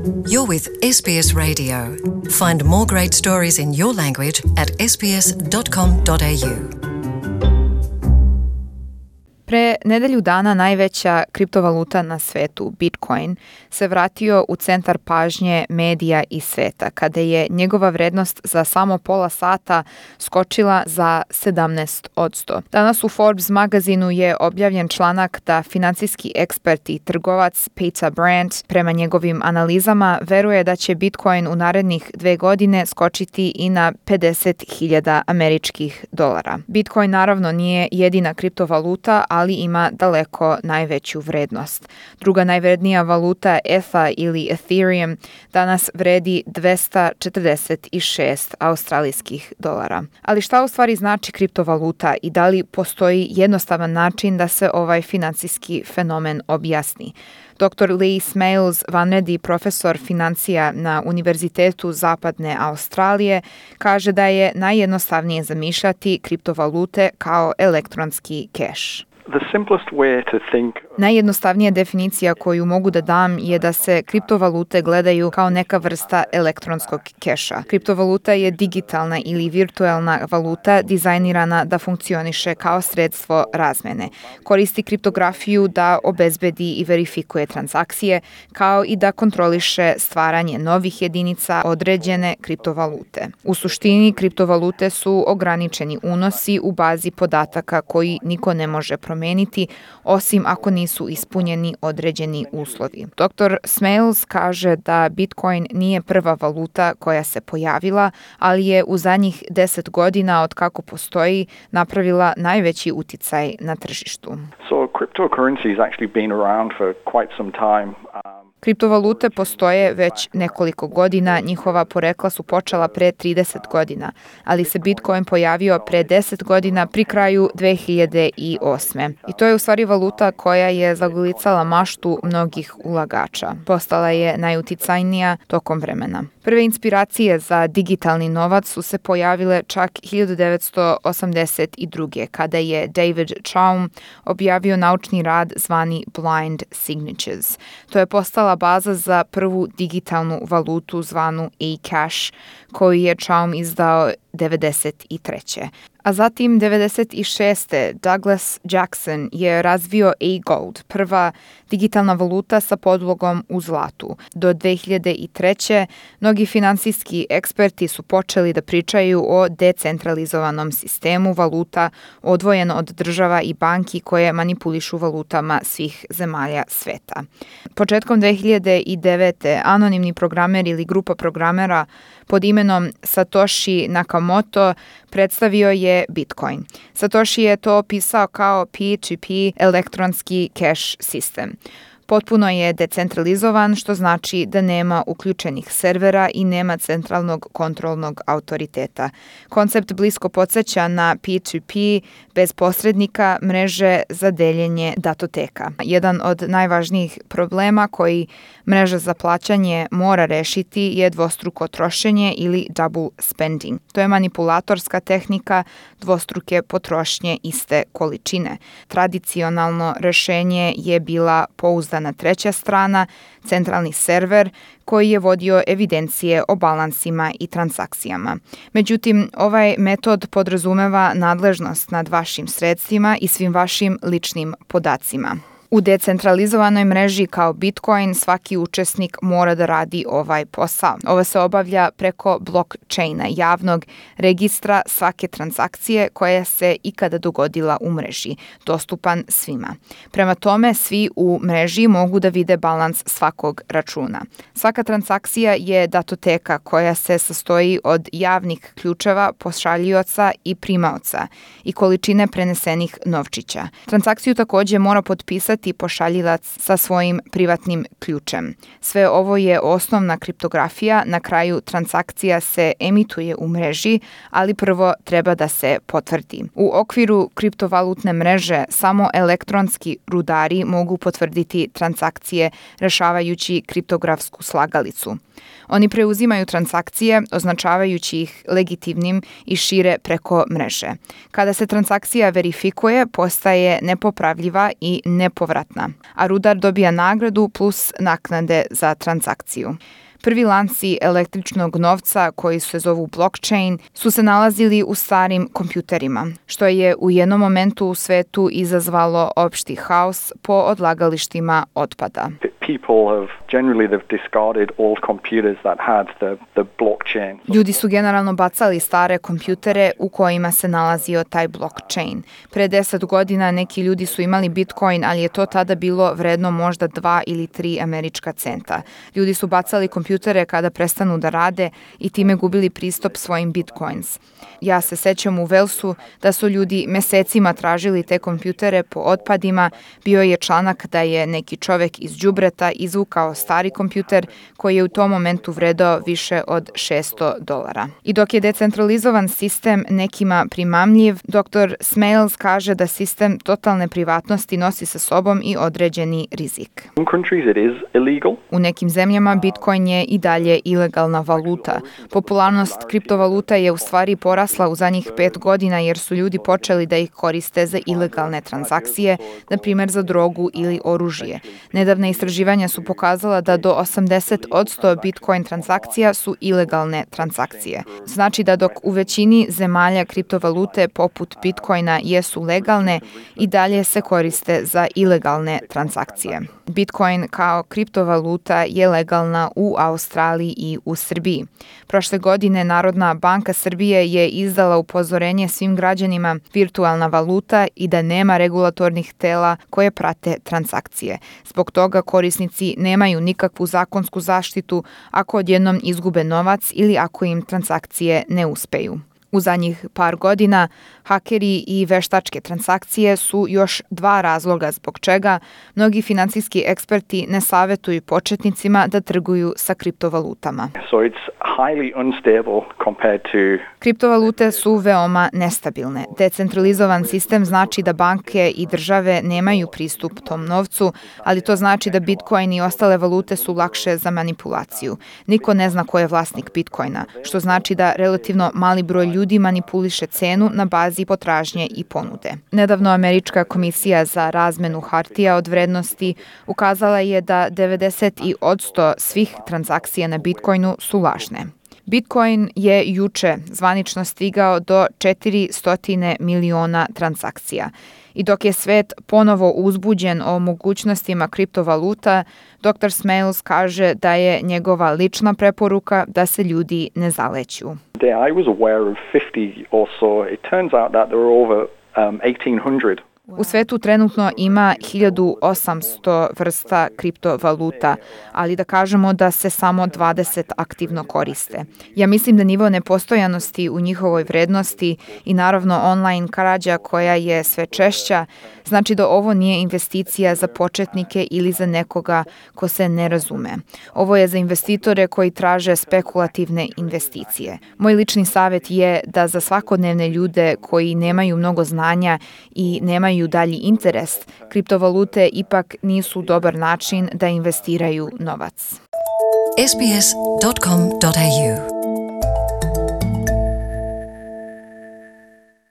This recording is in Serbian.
You're with SBS Radio. Find more great stories in your language at sbs.com.au. Pre nedelju dana najveća kriptovaluta na svetu, Bitcoin, se vratio u centar pažnje medija i sveta, kada je njegova vrednost za samo pola sata skočila za 17%. Danas u Forbes magazinu je objavljen članak da financijski ekspert i trgovac Peter Brandt, prema njegovim analizama, veruje da će Bitcoin u narednih 2 godine skočiti i na 50.000 američkih dolara. Bitcoin naravno nije jedina kriptovaluta, ali ima daleko najveću vrednost. Druga najvrednija valuta, ETH ili Ethereum, danas vredi 246 australijskih dolara. Ali šta u stvari znači kriptovaluta i da li postoji jednostavan način da se ovaj financijski fenomen objasni? Dr. Lee Smales, vanredni profesor financija na Univerzitetu Zapadne Australije, kaže da je najjednostavnije zamišljati kriptovalute kao elektronski keš. Najjednostavnija definicija koju mogu da dam je da se kriptovalute gledaju kao neka vrsta elektronskog keša. Kriptovaluta je digitalna ili virtuelna valuta dizajnirana da funkcioniše kao sredstvo razmene. Koristi kriptografiju da obezbedi i verifikuje transakcije, kao i da kontroliše stvaranje novih jedinica određene kriptovalute. U suštini, kriptovalute su ograničeni unosi u bazi podataka koji niko ne može promeniti, osim ako nisu ispunjeni određeni uslovi. Dr. Smales kaže da Bitcoin nije prva valuta koja se pojavila, ali je u zadnjih 10 godina od kako postoji napravila najveći uticaj na tržištu. Cryptocurrency has actually been around for quite some time. Kriptovalute postoje već nekoliko godina, njihova porekla su počela pre 30 godina, ali se Bitcoin pojavio pre 10 godina pri kraju 2008. I to je u stvari valuta koja je zagolicala maštu mnogih ulagača. Postala je najuticajnija tokom vremena. Prve inspiracije za digitalni novac su se pojavile čak 1982. kada je David Chaum objavio naučni rad zvani Blind Signatures. To je postala baza za prvu digitalnu valutu zvanu eCash, koju je Chaum izdao 1993. A zatim 1996. Douglas Jackson je razvio eGold, prva digitalna valuta sa podlogom u zlatu. Do 2003. mnogi finansijski eksperti su počeli da pričaju o decentralizovanom sistemu valuta odvojen od država i banki koje manipulišu valutama svih zemalja sveta. Početkom 2009. anonimni programer ili grupa programera pod imenom Satoshi Nakamoto predstavio je Bitcoin. Satoshi je to opisao kao P2P elektronski cash sistem. Potpuno je decentralizovan, što znači da nema uključenih servera i nema centralnog kontrolnog autoriteta. Koncept blisko podsjeća na P2P bez posrednika mreže za deljenje datoteka. Jedan od najvažnijih problema koji mreža za plaćanje mora rešiti je dvostruko trošenje ili double spending. To je manipulatorska tehnika dvostruke potrošnje iste količine. Tradicionalno rešenje je bila pouzdana treća strana, centralni server koji je vodio evidencije o balansima i transakcijama. Međutim, ovaj metod podrazumeva nadležnost nad vašim sredstvima i svim vašim ličnim podacima. U decentralizovanoj mreži kao Bitcoin svaki učesnik mora da radi ovaj posao. Ovo se obavlja preko blockchaina, javnog registra svake transakcije koja se ikada dogodila u mreži, dostupan svima. Prema tome, svi u mreži mogu da vide balans svakog računa. Svaka transakcija je datoteka koja se sastoji od javnih ključeva pošaljivaca i primaoca i količine prenesenih novčića. Transakciju takođe mora potpisati pošaljivac sa svojim privatnim ključem. Sve ovo je osnovna kriptografija, na kraju transakcija se emituje u mreži, ali prvo treba da se potvrdi. U okviru kriptovalutne mreže samo elektronski rudari mogu potvrditi transakcije rešavajući kriptografsku slagalicu. Oni preuzimaju transakcije, označavajući ih legitimnim i šire preko mreže. Kada se transakcija verifikuje, postaje nepopravljiva i nepovratna bespovratna, a rudar dobija nagradu plus naknade za transakciju. Prvi lanci električnog novca, koji se zovu blockchain, su se nalazili u starim kompjuterima, što je u jednom momentu u svetu izazvalo opšti haos po odlagalištima otpada. They've discarded all computers that had the blockchain. Ljudi su generalno bacali stare kompjutere u kojima se nalazio taj blockchain. Pre 10 godina neki ljudi su imali Bitcoin, ali je to tada bilo vredno možda 2 ili 3 američka centa. Ljudi su bacali kompjutere kada prestanu da rade i time gubili pristup svojim Bitcoins. Ja se sećam u Walesu da su ljudi mesecima tražili te kompjutere po otpadima. Bio je članak da je neki čovek iz đubreta izvukao stari kompjuter koji je u tom momentu vredao više od $600. I dok je decentralizovan sistem nekima primamljiv, dr. Smales kaže da sistem totalne privatnosti nosi sa sobom i određeni rizik. U nekim zemljama Bitcoin je i dalje ilegalna valuta. Popularnost kriptovaluta je u stvari porasla u zadnjih 5 godina jer su ljudi počeli da ih koriste za ilegalne transakcije, na primjer za drogu ili oružje. Nedavne istraživanja su pokazala da do 80% Bitcoin transakcija su ilegalne transakcije. Znači da dok u većini zemalja kriptovalute poput Bitcoina jesu legalne, i dalje se koriste za ilegalne transakcije. Bitcoin kao kriptovaluta je legalna u Australiji i u Srbiji. Prošle godine Narodna banka Srbije je izdala upozorenje svim građanima virtualna valuta i da nema regulatornih tela koje prate transakcije. Zbog toga korisnici nemaju nikakvu zakonsku zaštitu ako odjednom izgube novac ili ako im transakcije ne uspeju. U zadnjih par godina hakeri i veštačke transakcije su još 2 razloga zbog čega mnogi finansijski eksperti ne savetuju početnicima da trguju sa kriptovalutama. Kriptovalute su veoma nestabilne. Decentralizovan sistem znači da banke i države nemaju pristup tom novcu, ali to znači da Bitcoin i ostale valute su lakše za manipulaciju. Niko ne zna ko je vlasnik Bitcoina, što znači da relativno mali broj ljudi manipuliše cenu na bazi potražnje i ponude. Nedavno Američka komisija za razmenu hartija od vrednosti ukazala je da 90% svih transakcija na Bitcoinu su lažne. Bitcoin je juče zvanično stigao do 400 miliona transakcija. I dok je svet ponovo uzbuđen o mogućnostima kriptovaluta, dr. Smales kaže da je njegova lična preporuka da se ljudi ne zaleću. I was aware of 50 or so. It turns out that there are over 1800. U svetu trenutno ima 1800 vrsta kriptovaluta, ali da kažemo da se samo 20 aktivno koriste. Ja mislim da nivo nepostojanosti u njihovoj vrednosti i naravno online krađa koja je sve češća, znači da ovo nije investicija za početnike ili za nekoga ko se ne razume. Ovo je za investitore koji traže spekulativne investicije. Moj lični savjet je da za svakodnevne ljude koji nemaju mnogo znanja i nemaju dalji interes, kriptovalute ipak nisu dobar način da investiraju novac. sbs.com.au